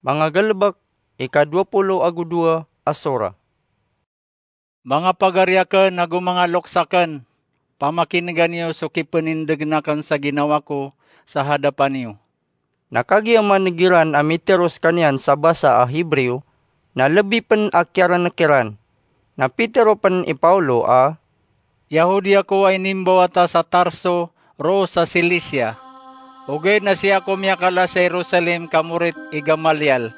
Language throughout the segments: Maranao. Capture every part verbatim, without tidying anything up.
Manga Galebek, ika dowa polo ago dowa a sora. Manga pagari akn ago manga loks akn, pamakinega niyo so kipenindegen akn sa ginawa ko sa hadapan iyo. Na kagiya maneg iran a mitero sekaniyan sa basa a Hebreo, na lebi pen a kiyarenek iran. Na pitero pen i Paulo a, Yahudi ako a inimbawata sa Tarso, roo sa Cilicia. Ogaid na sii ako miyakala sa Jerusalem ka morit i Gamaliel.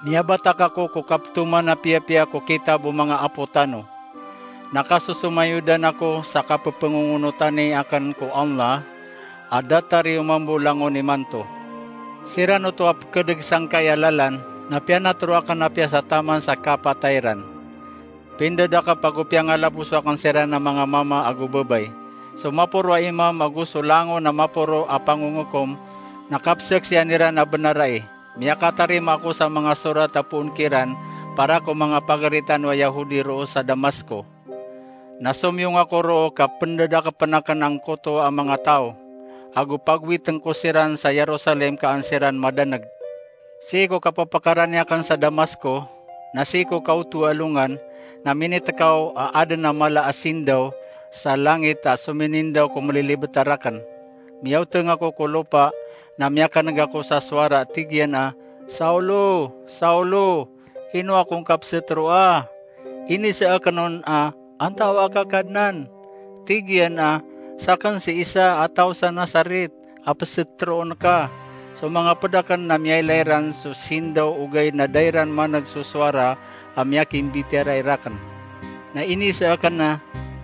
Miyabatak ako ko kaptoman a piyapiya ko kitab o manga apo tano. Na kasosomayodan ako sa kapepengongonotani aken ko Allah a datar iyo mambo langon imanto. Siran oto a pekedeg sangkai a lalan, na piyanatero aken apiya sa taman sa kapatay iran. Pindadakep ago piyangalaboso aken siran a manga mama ago babay. So maporo a imam ago so langon a maporo a pangongokom na kapsaksian iran a benar ai. Miyakatarima ako sa manga sorat a poon kiran para ko manga pagari tano a Yahudi roo sa Damasko. Na somiyong ako roo ka pendadakepen aken angkoto a manga taw, ago pagowiten ko siran sa Jerusalem ka an siran madaneg. Sii ko kapepekarani aken sa Damasko, na sii ko kaoto a alongan, na minitekaw a aden a mala a sindaw sa langit a sominindaw ko melilibet a raken. Miyaoteng ako ko lopa, na miyakaneg ako sa sowara a tig iyan a, "Saulo, Saulo, ino akong kapset roa?" Inisaaken on a, "Antaa ka, Kadnan?" Tig iyan a, "Saken si Isa a taw sa Nazaret a peset roon ka." So manga ped aken na miyailay ran so sindaw ogaid na da iran maneg so sowara a miyakimbitiyarai raken. Na inisaaken a,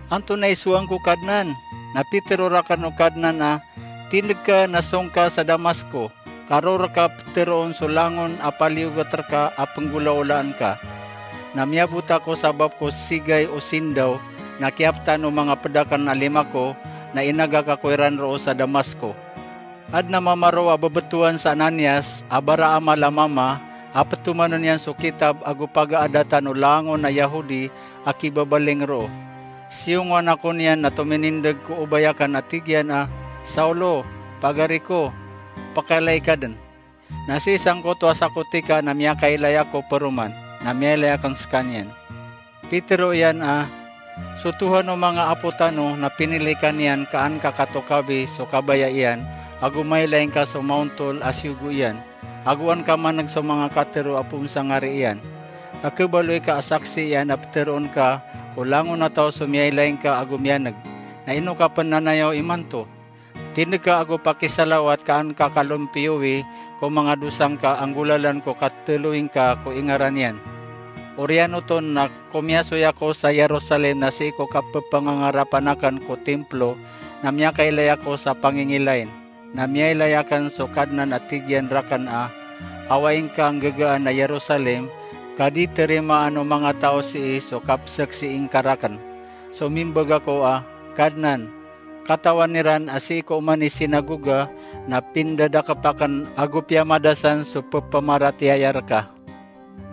"Antonaa i sowaan ko, Kadnan?" Na pitero raken o Kadnan a, "Tindeg ka na song ka sa Damasko, ka roo reka peteroon so langon a paliyogat reka a penggolaolaan ka." Na miyabot ako sa bap ko sigay o sindaw, na kiyapetan o manga ped aken a lima ko, na inagak ako iran roo sa Damasko. Aden a mama roo a bebetowan sa Ananias a baraamal a mama a petomanen iyan so kitab ago pagaadatan o langon a Yahudi a kibabaling roo. Siyongowan ako niyan na tominindeg ko obay aken a tig iyan a, "Saulo, pagari ko, pekailay ka den." Na sii sangkoto a sakotika na miyakailay ako peroman, na miyailay aken sekaniyan. Pitero iyan a, "So Tohan o manga apo tano na pinili ka niyan ka an ka katokawi so kabaya iyan, ago mailay ngka so maontol a siyogo iyan, ago an ka maneg so manga katero a poon sa ngari iyan. Ka kebaloy ka a saksi iyan a peteroon ka ko langon a taw so miyailay ngka ago miyaneg. Na ino ka pen nanayaw imanto? Tindeg ka ago pakisalawat ka an ka kalompiyowi ko manga dosa ngka anggolalan ko katelowi ngka ko ingaran iyan." Oriyan oto na komiyasoy ako sa Jerusalem na sii ko kapepangangarapan aken ko Timplo na miyakailay ako sa pangingilain. Na miyailay aken so Kadnan a tig iyan raken a, "Awaing ka nggegaan a Jerusalem, ka di terimaan o manga taw sii so kapsaksii ngka raken." So mimbag ako a, "Kadnan, katawan iran a sii ko oman i sinagoga na pindadakep aken ago piyamadasan so pepamaratiyaya reka.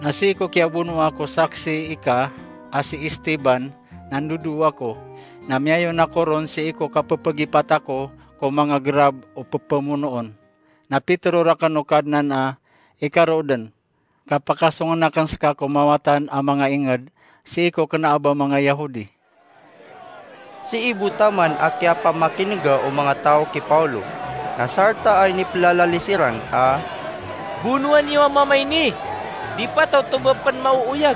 Na sii ko kiyabonoa ko saksi ika a si Esteban na ndodoo ako, na miyayon ako ron sii ko kapepegipat ako ko manga gerab o pepemonoon." Na pitero raken o Kadnan a, "Ika roo den, ka pakasongen aken seka ko mawatan a manga inged sii ko kena a ba manga Yahudi." Sii bo taman a kiyapamakinega o manga taw ki Paulo, na sarta a inipelalalis iran a, "Bonoa niyo a mama ini! Di pataw to ba pen maooyag!"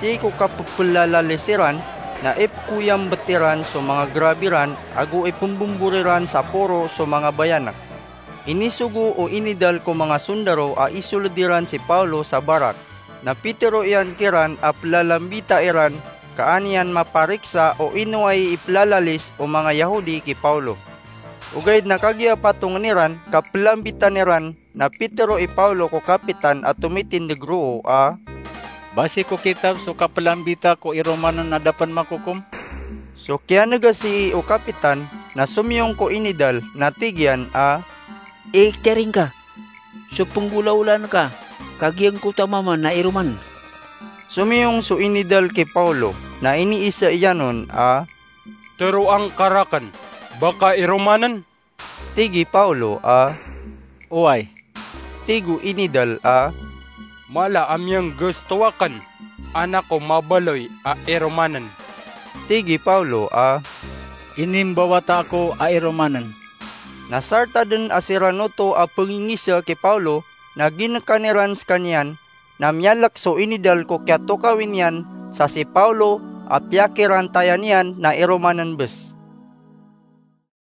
Sii ko kapepelalalis iran na ipekoyambet iran so manga gerab iran ago ipembombor iran sa poro so manga bayanek. Inisogo o inidal ko manga sondaro a isoled iran si Paulo sa barak. Na pitero iyan kiran a pelalambita iran ka an iyan mapariksa o ino ay ipelalalis o manga Yahudi ki Paulo. Ogaid na kagiya patongen iran ka pelambitan iran, na pitero i Paulo ko kapitan a tomitindeg roo a, "Basi ko kitab so kapelambita ko i Romanen a da pen makokom?" So kiyanega sii o kapitan na somiyong ko inidal na tig iyan a, "Iktiyaring ka so penggolaolaan ka, ka giyangkoto a mama na i Roman." Somiyong so inidal ki Paulo na iniisa iyan on a, "Teroang ka raken, ba ka i Romanen?" Tig i Paulo a, "Oway, Tig o inidal a, "Mala a miyanggesto aken, anak ko mabaloy a iromanen." Tig i Pawlo a, "Inimbawata ako a iromanen." Na sartaden a siran oto a pengingisek i Pawlo na ginkan iran sekaniyan, na miyalek so inidal ko kiyatokawi niyan sa si Pawlo a piyakirantayan iyan na iromanen bes.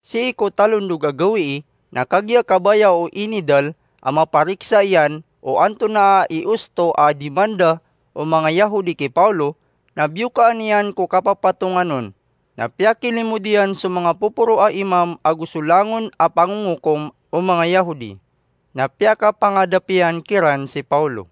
Sii ko talondog a gawii na kagiya kabaya o inidal a mapariksa iyan o antonaa i osto a dimanda o manga Yahudi ki Pawlo, na biyokaan iyan ko kapapatongan on, na piyakilimod iyan so manga poporo a imam ago so langon a pangongokom o manga Yahudi, na piyakapangadap iyan kiran si Pawlo.